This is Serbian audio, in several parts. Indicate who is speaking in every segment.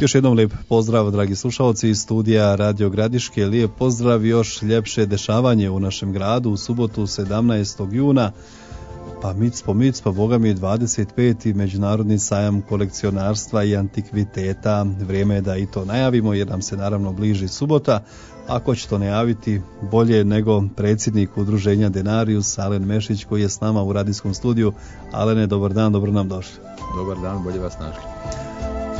Speaker 1: Još jednom lijep pozdrav, dragi slušalci iz studija Radio Gradiške. Lijep pozdrav, još ljepše dešavanje u našem gradu u subotu 17. juna. Pa micpo, boga mi 25. Međunarodni sajam kolekcionarstva i antikviteta. Vrijeme je da i to najavimo jer nam se naravno bliži subota. Ako će to najaviti bolje nego predsjednik udruženja Denarius, Alen Mešić, koji je s nama u radijskom studiju. Alene, dobar dan, dobro nam došli.
Speaker 2: Dobar dan, bolje vas našli.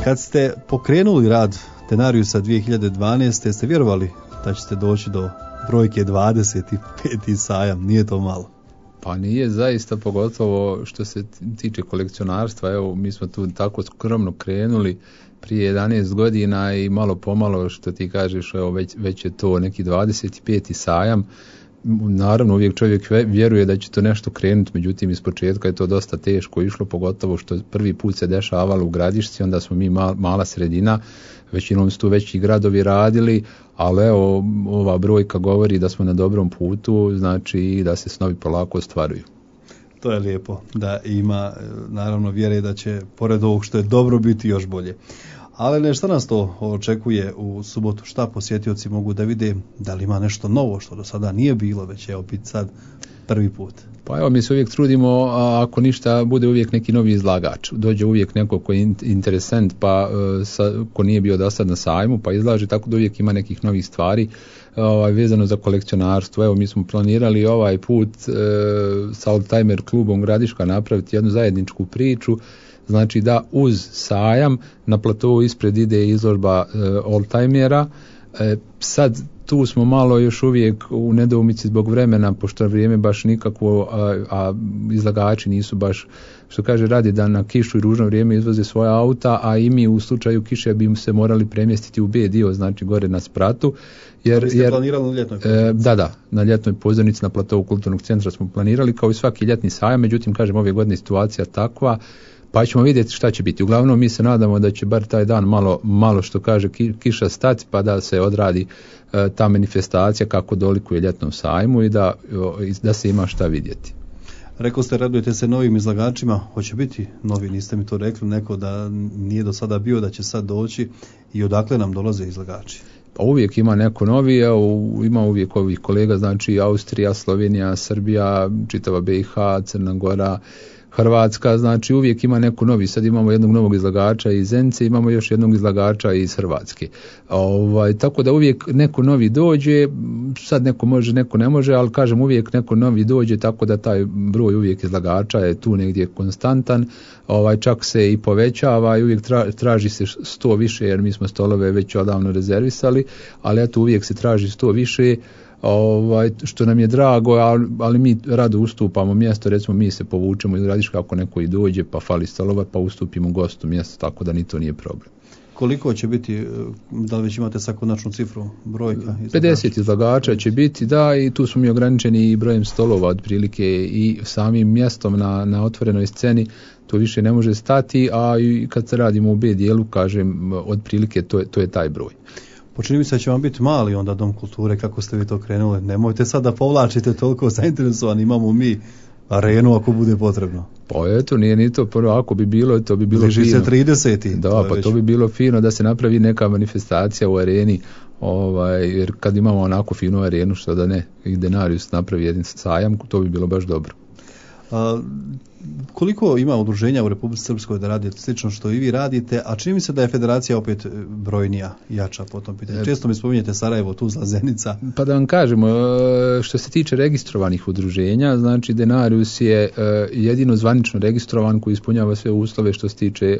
Speaker 1: Kad ste pokrenuli rad Denariusa 2012. ste vjerovali da ćete doći do brojke 25. sajam? Nije to malo.
Speaker 2: Pa nije zaista, pogotovo što se tiče kolekcionarstva. Evo, mi smo tu tako skromno krenuli prije 11 godina i malo pomalo, što ti kažeš, evo, već je to neki 25. sajam. Naravno, uvijek čovjek vjeruje da će to nešto krenuti, međutim iz početka je to dosta teško išlo, pogotovo što prvi put se dešavalo u Gradišci, onda smo mi mala sredina, većinom su tu veći gradovi radili, ali evo, ova brojka govori da smo na dobrom putu, znači da se snovi polako ostvaruju.
Speaker 1: To je lijepo, da ima naravno vjere da će pored ovog što je dobro biti još bolje. Ali šta nas to očekuje u subotu? Šta posjetioci mogu da vide? Da li ima nešto novo što do sada nije bilo, već evo biti sad prvi put?
Speaker 2: Pa evo, mi se uvijek trudimo, ako ništa, bude uvijek neki novi izlagač. Dođe uvijek neko koji je interesant, pa ko nije bio do sad na sajmu, pa izlaže, tako da uvijek ima nekih novih stvari vezano za kolekcionarstvo. Evo, mi smo planirali ovaj put sa Oldtimer klubom Gradiška napraviti jednu zajedničku priču. Znači da uz sajam na platovu ispred ide izložba oldtimera. Sad tu smo malo još uvijek u nedoumici zbog vremena, pošto vrijeme baš nikakvo, a izlagači nisu baš, što kaže, radi da na kišu i ružno vrijeme izvoze svoja auta, a i mi u slučaju kiše bi se morali premjestiti u B dio, znači gore na spratu.
Speaker 1: Vi ste planirali na ljetnoj pozornici?
Speaker 2: Da, na ljetnoj pozornici na platovu kulturnog centra smo planirali kao i svaki ljetni sajam, međutim, kažem, ove godine situacija takva, pa ćemo vidjeti šta će biti. Uglavnom mi se nadamo da će bar taj dan malo što kaže kiša stati, pa da se odradi ta manifestacija kako dolikuje ljetnom sajmu i da se ima šta vidjeti.
Speaker 1: Rekao ste, radujete se novim izlagačima, hoće biti novi, niste mi to rekli, neko da nije do sada bio, da će sad doći, i odakle nam dolaze izlagači?
Speaker 2: Pa uvijek ima neko novi, ima uvijek ovih kolega, znači Austrija, Slovenija, Srbija, čitava BiH, Crna Gora, Hrvatska, znači uvijek ima neko novi. Sad imamo jednog novog izlagača iz Zenice, imamo još jednog izlagača iz Hrvatske. Tako da uvijek neko novi dođe, sad neko može, neko ne može, ali kažem uvijek neko novi dođe, tako da taj broj uvijek izlagača je tu negdje konstantan, čak se i povećava i uvijek traži se 100 više, jer mi smo stolove već odavno rezervisali, ali eto uvijek se traži 100 više, što nam je drago, ali mi rado ustupamo mjesto, recimo mi se povučemo iz Gradiška ako neko i dođe pa fali stolova, pa ustupimo gostu mjesto, tako da ni to nije problem.
Speaker 1: Koliko će biti, da li već imate sad konačnu cifru, brojka?
Speaker 2: 50 izlagača će biti, da, i tu smo mi ograničeni i brojem stolova otprilike i samim mjestom na otvorenoj sceni, to više ne može stati, a i kad se radimo u B dijelu, kažem, otprilike to je taj broj.
Speaker 1: Počini mi se da će vam biti mali onda Dom kulture, kako ste vi to krenuli. Nemojte sad da povlačite toliko zainteresovani, imamo mi arenu ako bude potrebno.
Speaker 2: Pa eto, nije ni to prvo, ako bi bilo, to bi bilo
Speaker 1: bliži
Speaker 2: fino.
Speaker 1: Se 30.
Speaker 2: Da, pa to bi bilo fino da se napravi neka manifestacija u areni, jer kad imamo onako finu arenu, što da ne, i Denarius napravi jedan sajam, to bi bilo baš dobro.
Speaker 1: Koliko ima udruženja u Republici Srpskoj da radi slično što i vi radite, a čini mi se da je federacija opet brojnija, jača po tom pitanju? Često mi spominjete Sarajevo, Tuzla, Zenica.
Speaker 2: Pa da vam kažemo, što se tiče registrovanih udruženja, znači Denarius je jedino zvanično registrovan koji ispunjava sve uslove što se tiče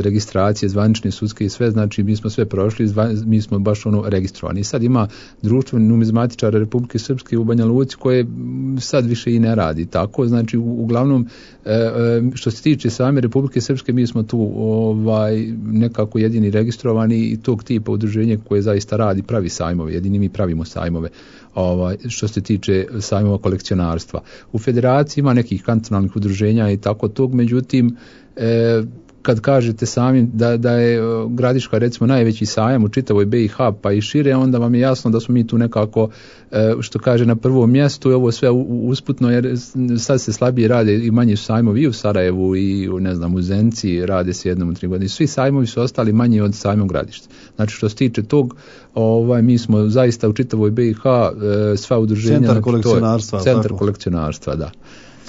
Speaker 2: registracije zvanične, sudske i sve, znači mi smo sve prošli, mi smo baš registrovani. Sad ima društvo numizmatičara Republike Srpske u Banja Luci koje sad više i ne radi tako, znači uglavnom što se tiče same Republike Srpske mi smo tu nekako jedini registrovani i tog tipa udruženja koje zaista radi, pravi sajmove, jedini mi pravimo sajmove što se tiče sajmova kolekcionarstva. U federaciji ima nekih kantonalnih udruženja i tako tog, međutim kad kažete sami da je Gradiška recimo najveći sajam u čitavoj BiH pa i šire, onda vam je jasno da smo mi tu nekako, što kaže, na prvom mjestu i ovo sve usputno, jer sad se slabije rade i manji su sajmovi i u Sarajevu i u Zenci, rade se jednom u 3 godine. Svi sajmovi su ostali manji od sajmom Gradišta. Znači što se tiče tog, mi smo zaista u čitavoj BiH sva udruženja.
Speaker 1: Centar kolekcionarstva.
Speaker 2: Centar kolekcionarstva, da.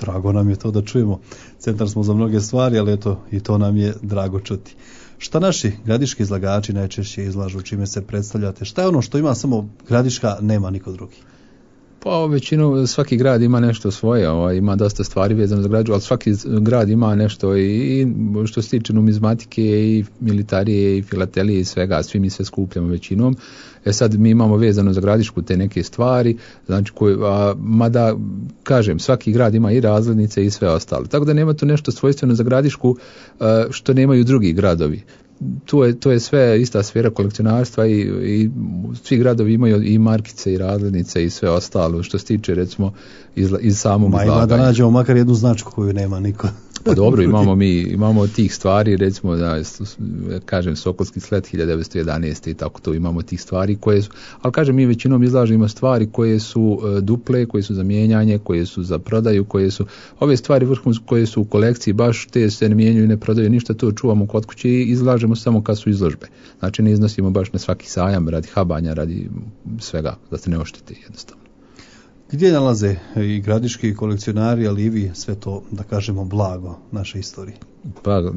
Speaker 1: Drago nam je to da čujemo. Centar smo za mnoge stvari, ali eto, i to nam je drago čuti. Šta naši gradiški izlagači najčešće izlažu, čime se predstavljate? Šta je ono što ima samo Gradiška, nema niko drugi?
Speaker 2: Pa većinu, svaki grad ima nešto svoje, ima dosta stvari vezano za Gradišku, ali svaki grad ima nešto i što se tiče numizmatike i militarije i filatelije i svega, svi mi sve skupljamo većinom. Sad mi imamo vezano za Gradišku te neke stvari, znači mada kažem, svaki grad ima i razglednice i sve ostalo. Tako da nema tu nešto svojstveno za Gradišku što nemaju drugi gradovi. To je sve ista sfera kolekcionarstva i svi gradovi imaju i markice i razglednice i sve ostalo što se tiče recimo iz samog izlaganja.
Speaker 1: Ima da nađemo makar jednu značku koju nema niko.
Speaker 2: Pa dobro, imamo tih stvari, recimo da kažem Sokolski slet 1911. i tako to, imamo tih stvari koje su, ali kažem mi većinom izlažemo stvari koje su duple, koje su za mijenjanje, koje su za prodaju, koje su ove stvari vrhunske koje su u kolekciji, baš te se ne mijenjaju i ne prodaju ništa, to čuvamo kod kuće i izlažemo samo kad su izložbe. Znači ne iznosimo baš na svaki sajam radi habanja, radi svega, da se ne oštete jednostavno.
Speaker 1: Gdje nalaze i gradiški kolekcionari, ali i vi sve to, da kažemo, blago naše istorije?
Speaker 2: Pa,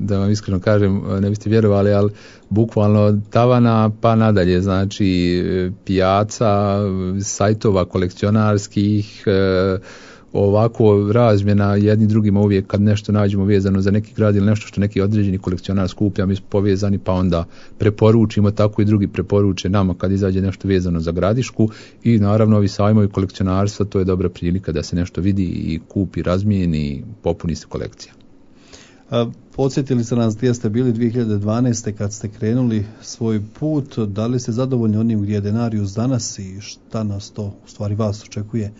Speaker 2: da vam iskreno kažem, ne biste vjerovali, ali bukvalno od tavana pa nadalje, znači pijaca, sajtova kolekcionarskih, ovako razmjena jedni drugima uvijek kad nešto nađemo vezano za neki grad ili nešto što neki određeni kolekcionar skuplja, mi smo povezani pa onda preporučimo, tako i drugi preporuče nama kad izađe nešto vezano za Gradišku i naravno ovi sajmovi kolekcionarstva, to je dobra prilika da se nešto vidi i kupi, razmijeni i popuni se kolekcija.
Speaker 1: Podsjetili ste nas gdje ste bili 2012. kad ste krenuli svoj put, da li ste zadovoljni onim gdje je Denarius danas i šta nas to u stvari vas očekuje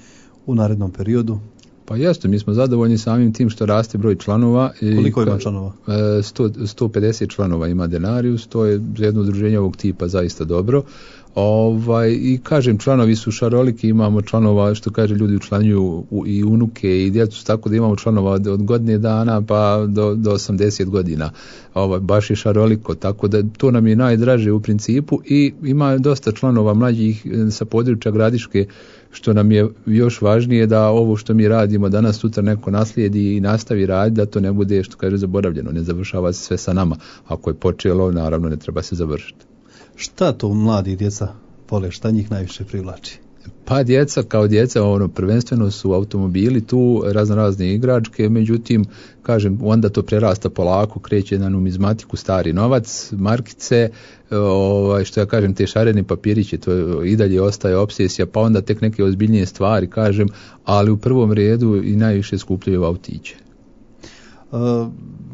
Speaker 1: u narednom periodu?
Speaker 2: Pa jeste, mi smo zadovoljni samim tim što raste broj članova.
Speaker 1: Koliko ima članova?
Speaker 2: 150 članova ima Denarius, to je za jedno udruženje ovog tipa zaista dobro. I kažem, članovi su šaroliki, imamo članova, što kaže, ljudi učlanjuju i unuke i djecu, tako da imamo članova od godine dana pa do 80 godina. Baš je šaroliko, tako da to nam je najdraže u principu i ima dosta članova mlađih sa područja Gradiške, što nam je još važnije da ovo što mi radimo danas sutra neko naslijedi i nastavi raditi, da to ne bude, što kaže, zaboravljeno, ne završava se sve sa nama. Ako je počelo, naravno ne treba se završiti.
Speaker 1: Šta to mladi djeca vole, šta njih najviše privlači?
Speaker 2: Pa djeca kao djeca, prvenstveno su automobili tu, razne igračke, međutim, kažem, onda to prerasta polako, kreće na numizmatiku, stari novac, markice, što ja kažem, te šareni papirići, to i dalje ostaje obsesija, pa onda tek neke ozbiljnije stvari, kažem, ali u prvom redu i najviše skupljaju autiće.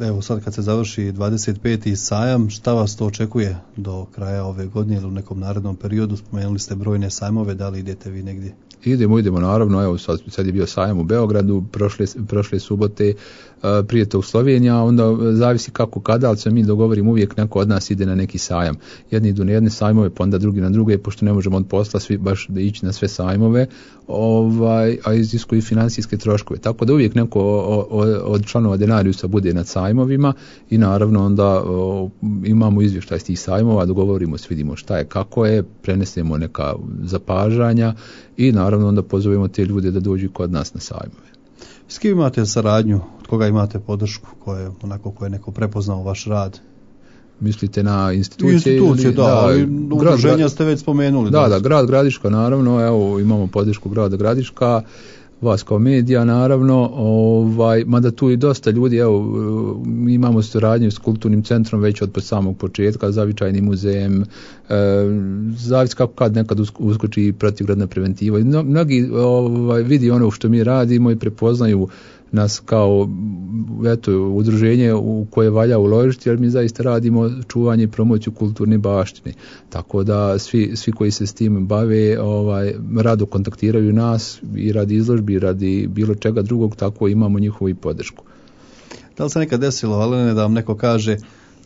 Speaker 1: Evo sad kad se završi 25. sajam, šta vas to očekuje do kraja ove godine ili u nekom narednom periodu? Spomenuli ste brojne sajmove, da li idete vi negdje?
Speaker 2: Idemo, naravno, evo sad je bio sajam u Beogradu, prošle subote, prije to u Sloveniji, a onda zavisi kako kada, ali se mi dogovorimo, uvijek neko od nas ide na neki sajam. Jedni idu na jedne sajmove, pa onda drugi na druge, pošto ne možemo od posla svi baš da ići na sve sajmove, a iziskuju financijske troškove. Tako da uvijek neko od članova Denariusa bude na sajmovima i naravno onda imamo izvještaj s tih sajmova, dogovorimo se, vidimo šta je, kako je, prenesemo neka zapažanja i naravno onda pozovemo te ljude da dođu kod nas na sajmove.
Speaker 1: S kim imate saradnju, od koga imate podršku, koje je neko prepoznao vaš rad?
Speaker 2: Mislite na institucije?
Speaker 1: Da, udruženja ste već spomenuli.
Speaker 2: Da, grad Gradiška, naravno, evo imamo podršku grada Gradiška, vas kao medija, naravno, mada tu i dosta ljudi, evo, imamo suradnju s kulturnim centrom već od samog početka, zavičajnim muzejem, zavisi kako kad nekad uskoči protivgradna preventiva. Mnogi vidi ono što mi radimo i prepoznaju nas kao udruženje u koje valja uložiti, jer mi zaista radimo čuvanje i promociju kulturne baštine. Tako da svi koji se s tim bave rado kontaktiraju nas i radi izložbi, radi bilo čega drugog, tako imamo njihovu i podršku.
Speaker 1: Da li se nekad desilo, Alene, da vam neko kaže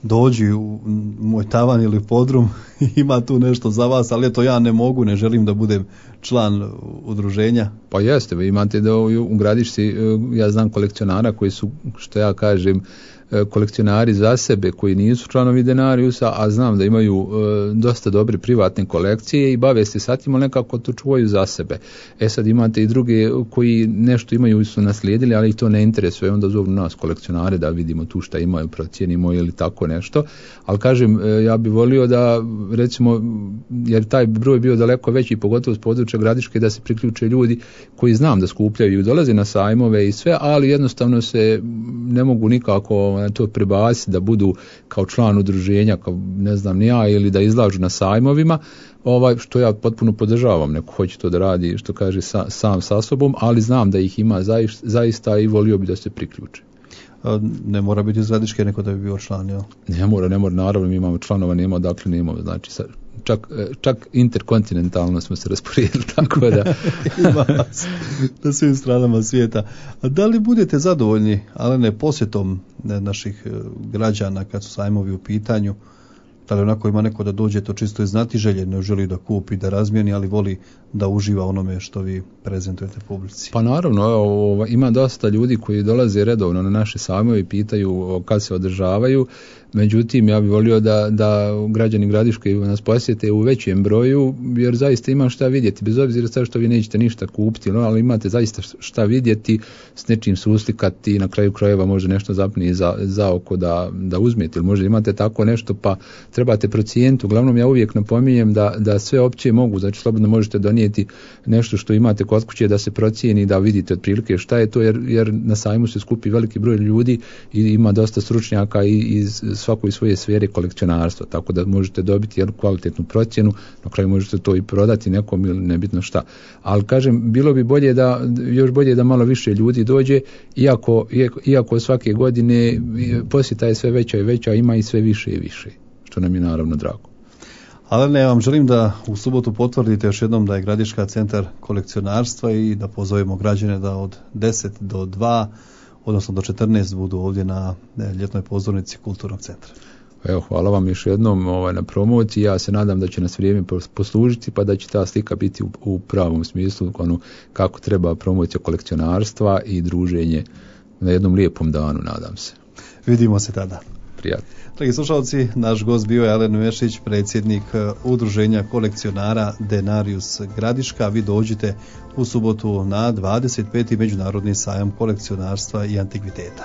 Speaker 1: dođi u moj tavan ili podrum, ima tu nešto za vas, ali eto ja ne mogu, ne želim da budem član udruženja?
Speaker 2: Pa jeste, vi imate da u Gradišci, ja znam kolekcionara koji su, što ja kažem, kolekcionari za sebe koji nisu članovi Denariusa, a znam da imaju dosta dobre privatne kolekcije i bave se sa tim, ali nekako to čuvaju za sebe. Sad imate i druge koji nešto imaju, su naslijedili, ali ih to ne interesuje, onda zovu nas kolekcionare da vidimo tu šta imaju, procijenimo ili tako nešto. Ali kažem, ja bih volio da, recimo, jer taj broj bio daleko veći, pogotovo s područja Gradiške, da se priključe ljudi koji znam da skupljaju i dolaze na sajmove i sve, ali jednostavno se ne mogu nikako to prebaciti da budu kao član udruženja, kao ne znam ni ja, ili da izlažu na sajmovima, što ja potpuno podržavam, neko hoće to da radi, što kaže sam sa sobom, ali znam da ih ima zaista i volio bi da se priključe.
Speaker 1: Ne mora biti iz Gradiške neko da bi bio član, jel?
Speaker 2: Ne mora, naravno mi imamo članova, nema odakle nemamo, znači čak interkontinentalno smo se rasporedili, tako da
Speaker 1: ima vas na svim stranama svijeta. A da li budete zadovoljni, Alene, posjetom naših građana kad su sajmovi u pitanju? Da li onako ima neko da dođe to čisto iz znatiželje, ne želi da kupi, da razmijeni, ali voli da uživa onome što vi prezentujete publici?
Speaker 2: Pa naravno, ima dosta ljudi koji dolaze redovno na naše sajmove i pitaju kad se održavaju. Međutim, ja bih volio da građani Gradiške nas posjete u većem broju, jer zaista ima šta vidjeti, bez obzira sad što vi nećete ništa kupiti, ali imate zaista šta vidjeti, s nečim suslikati i na kraju krajeva može nešto zapni za oko da uzmete, ili možda imate tako nešto pa trebate procijeniti. Uglavnom ja uvijek napominjem da sve opće mogu, znači slobodno možete donijeti nešto što imate kod kuće da se procijeni, da vidite otprilike šta je to, jer na sajmu se skupi veliki broj ljudi i ima dosta stručnjaka iz svakoj svoje sfere kolekcionarstva, tako da možete dobiti jednu kvalitetnu procjenu, na kraju možete to i prodati nekom ili nebitno šta. Ali kažem, bilo bi još bolje da malo više ljudi dođe, iako svake godine posjeta je sve veća i veća, ima i sve više i više, što nam je naravno drago.
Speaker 1: Alene, ja vam želim da u subotu potvrdite još jednom da je Gradiška centar kolekcionarstva i da pozovemo građane da od 10 do 2 odnosno do 14 budu ovdje na ljetnoj pozornici Kulturnog centra.
Speaker 2: Evo, hvala vam još jednom na promociji. Ja se nadam da će nas vrijeme poslužiti pa da će ta slika biti u pravom smislu kako treba promocija kolekcionarstva i druženje na jednom lijepom danu, nadam se.
Speaker 1: Vidimo se tada.
Speaker 2: Prijatno.
Speaker 1: Dragi slušalci, naš gost bio je Alen Mešić, predsjednik udruženja kolekcionara Denarius Gradiška. Vi dođite u subotu na 25. Međunarodni sajam kolekcionarstva i antikviteta.